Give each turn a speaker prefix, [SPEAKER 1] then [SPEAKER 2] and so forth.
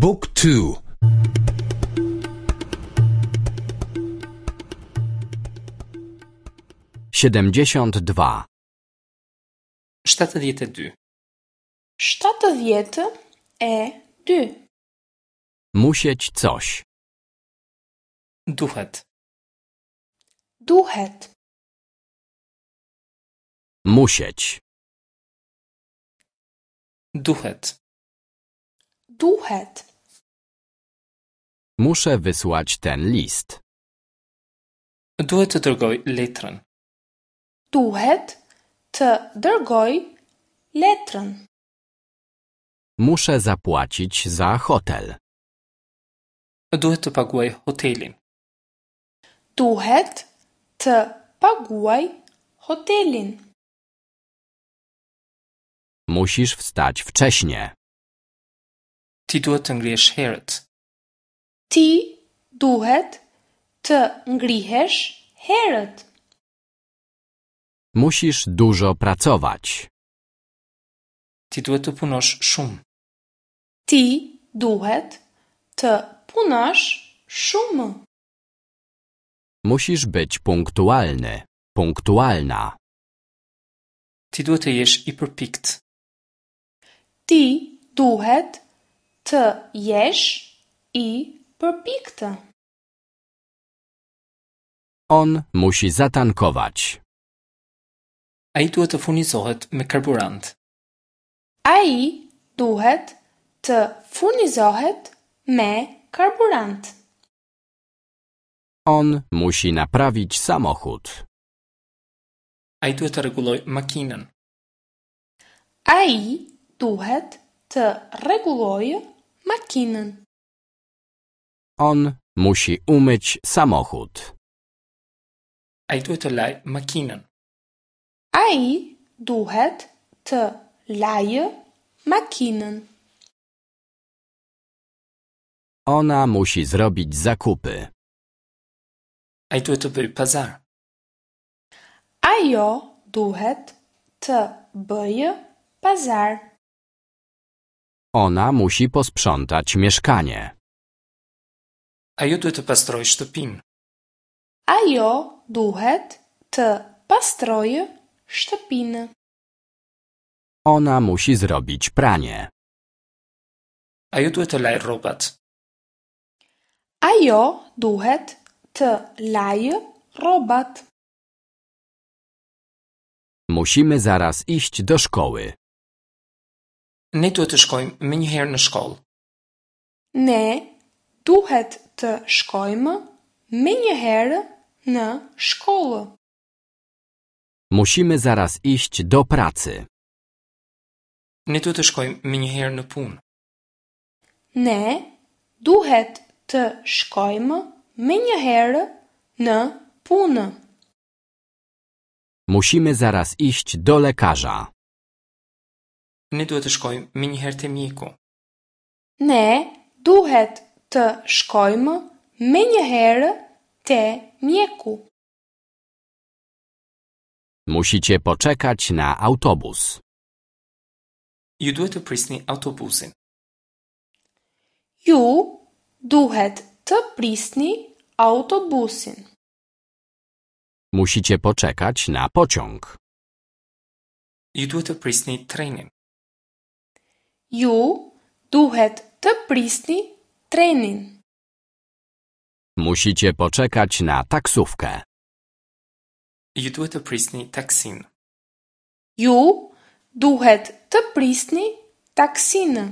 [SPEAKER 1] บุ๊กทู
[SPEAKER 2] 72.
[SPEAKER 3] 72.
[SPEAKER 4] 72.
[SPEAKER 2] Musieć coś.
[SPEAKER 3] Duhet.
[SPEAKER 4] Duhet.
[SPEAKER 2] Musieć.
[SPEAKER 3] Duhet.
[SPEAKER 4] Duhet.
[SPEAKER 2] Muszę wysłać ten list.
[SPEAKER 3] Duhet të dërgoj letrën.
[SPEAKER 4] Duhet të dërgoj letrën.
[SPEAKER 2] Muszę zapłacić za hotel.
[SPEAKER 3] Duhet të paguaj hotelin.
[SPEAKER 4] Duhet të paguaj hotelin.
[SPEAKER 2] Musisz wstać wcześnie.
[SPEAKER 3] Ti duhet të ngrihesh herët.
[SPEAKER 4] Ti duhet të ngrihesh herët.
[SPEAKER 2] Musisz dużo pracować.
[SPEAKER 3] Ti duhet të punosh shumë.
[SPEAKER 4] Ti duhet të punosh shumë.
[SPEAKER 2] Musisz być punktualny, punktualna.
[SPEAKER 3] Ti duhet të jesh i përpikt.
[SPEAKER 4] Ti duhet të jesh i përpiktë.
[SPEAKER 2] On musi zatankować.
[SPEAKER 3] Ai duhet të furnizohet me karburant.
[SPEAKER 4] Ai duhet të furnizohet me karburant.
[SPEAKER 2] On musi naprawić samochód.
[SPEAKER 3] Ai duhet të rregullojë makinën.
[SPEAKER 4] Ai duhet të rregullojë makinën.
[SPEAKER 2] On musi umyć samochód.
[SPEAKER 3] Ai duhet të lajë makinën.
[SPEAKER 4] Ai duhet të lajë makinën.
[SPEAKER 2] Ona musi zrobić zakupy.
[SPEAKER 3] Ai duhet të bëjë pazar.
[SPEAKER 4] Ajo duhet të bëjë pazar.
[SPEAKER 2] Ona musi posprzątać mieszkanie.
[SPEAKER 3] Ajo duhet të pastrojë shtëpinë.
[SPEAKER 4] Ajo duhet të pastrojë shtëpinë.
[SPEAKER 2] Ona musi zrobić pranie.
[SPEAKER 3] Ajo duhet të lajë rrobat.
[SPEAKER 4] Ajo duhet të lajë rrobat.
[SPEAKER 2] Musimy zaraz iść do szkoły.
[SPEAKER 3] Ne duhet të shkojmë menjëherë në shkollë.
[SPEAKER 4] Ne duhet të shkojmë menjëherë në shkollë.
[SPEAKER 2] Musimy zaraz iść do pracy.
[SPEAKER 3] Ne duhet të shkojmë menjëherë në punë.
[SPEAKER 4] Ne duhet të shkojmë menjëherë në punë.
[SPEAKER 2] Musimy zaraz iść do lekarza.
[SPEAKER 3] Ne duhet të shkojmë menjëherë te mjeku.
[SPEAKER 4] Ne duhet të shkojmë menjëherë te mjeku.
[SPEAKER 2] Musicie poczekać na autobus.
[SPEAKER 3] Ju duhet të prisni autobusin.
[SPEAKER 4] Ju duhet të prisni autobusin.
[SPEAKER 2] Musicie poczekać na pociąg.
[SPEAKER 3] Ju duhet të prisni trenin.
[SPEAKER 4] Ju duhet të prisni trenin.
[SPEAKER 2] Musicie poczekać na taksówkę.
[SPEAKER 3] Ju duhet të prisni taksin.
[SPEAKER 4] Ju duhet të prisni taksinë.